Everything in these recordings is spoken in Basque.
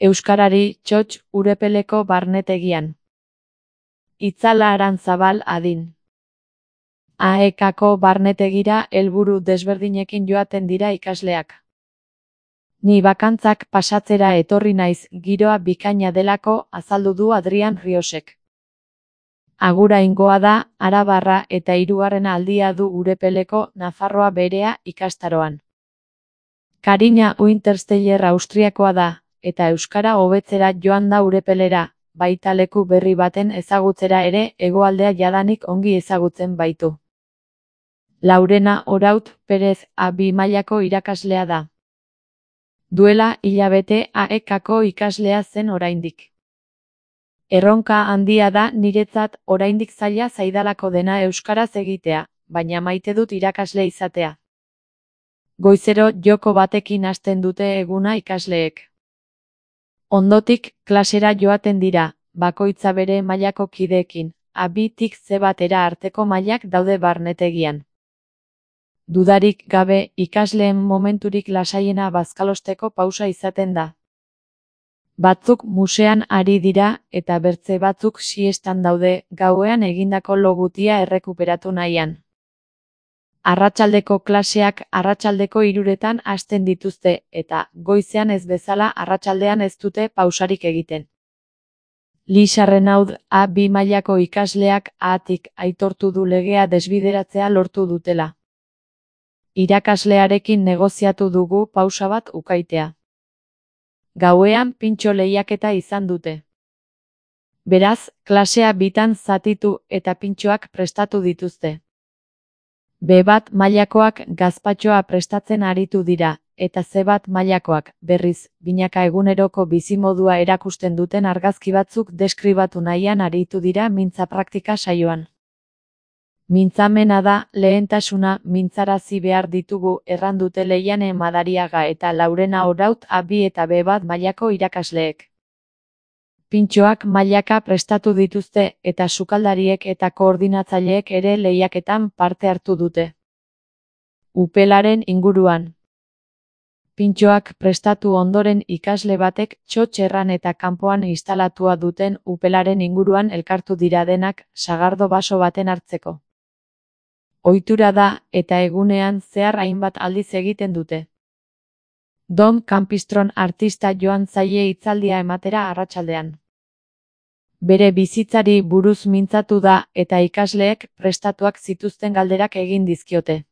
Euskarari txotx Urepeleko barnetegian. Itzala Arantzabal adin. AEKako barnetegira helburu desberdinekin joaten dira ikasleak. Ni bakantzak pasatzera etorri naiz, giroa bikaina delako, azaldu du Adrian Riosek. Aguraingoa da, arabarra eta hirugarren aldia du Urepeleko Nafarroa Berea ikastaroan. Karina Wintersteiner Austriakoa da, eta euskara hobetzera joan da Urepelera, baita leku berri baten ezagutzera ere, hegoaldea jadanik ongi ezagutzen baitu. Laurena Oraut Perez A2 mailako irakaslea da. Duela hilabete AEKako ikaslea zen oraindik. Erronka handia da niretzat, oraindik zaila zaidalako dena euskaraz egitea, baina maite dut irakasle izatea. Goizero joko batekin hasten dute eguna ikasleek. Ondotik klasera joaten dira, bakoitza bere mailako kideekin, A2tik C1 arteko mailak daude barnetegian. Dudarik gabe, ikasleen momenturik lasaiena bazkalosteko pausa izaten da. Batzuk musean ari dira, eta bertze batzuk siestan daude, gauean egindako lo gutia errekuperatu nahian. Arratsaldeko klaseak arratsaldeko 3etan hasten dituzte, eta goizean ez bezala arratsaldean ez dute pausarik egiten. Lisa Renaud A2 mailako ikasleak Atik aitortu du legea desbideratzea lortu dutela. Irakaslearekin negoziatu dugu pausa bat ukaitea. Gauean pintxo lehiaketa izan dute. Beraz, klasea bitan zatitu eta pintxoak prestatu dituzte. B1 mailakoak gazpatxoa prestatzen aritu dira, eta C1 mailakoak, berriz, binaka eguneroko bizimodua erakusten duten argazki batzuk deskribatu nahian aritu dira mintza praktika saioan. Mintzamena da, lehentasuna mintzarazi behar ditugu, errandute Leiane Madariaga eta Laurena Oraut A2 eta B1 mailako irakasleek. Pintxoak mailaka prestatu dituzte, eta sukaldariek eta koordinatzaileek ere lehiaketan parte hartu dute. Upelaren inguruan. Pintxoak prestatu ondoren ikasle batek txotxerran eta kanpoan instalatua duten upelaren inguruan elkartu dira denak, sagardo baso baten hartzeko. Ohitura da, eta egunean zehar hainbat aldiz egiten dute. Dom Campistron artista joan zaie hitzaldia ematera arratsaldean. Bere bizitzari buruz mintzatu da, eta ikasleek prestatuak zituzten galderak egin dizkiote.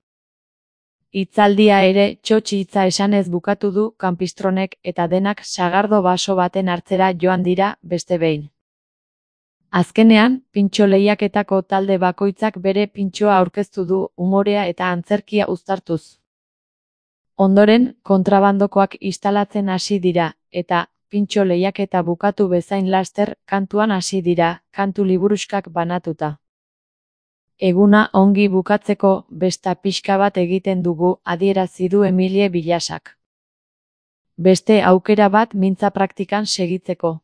Hitzaldia ere txotx hitza esanez bukatu du Campistronek, eta denak sagardo baso baten hartzera joan dira, beste behin. Azkenean, pintxo lehiaketako talde bakoitzak bere pintxoa aurkeztu du, umorea eta antzerkia uztartuz. Ondoren, kontrabandokoak instalatzen hasi dira, eta pintxo lehiaketa bukatu bezain laster, kantuan hasi dira, kantu liburuxkak banatuta. Eguna ongi bukatzeko, besta pixka bat egiten dugu, adierazi du Emilie Bilasak. Beste aukera bat mintza praktikan segitzeko.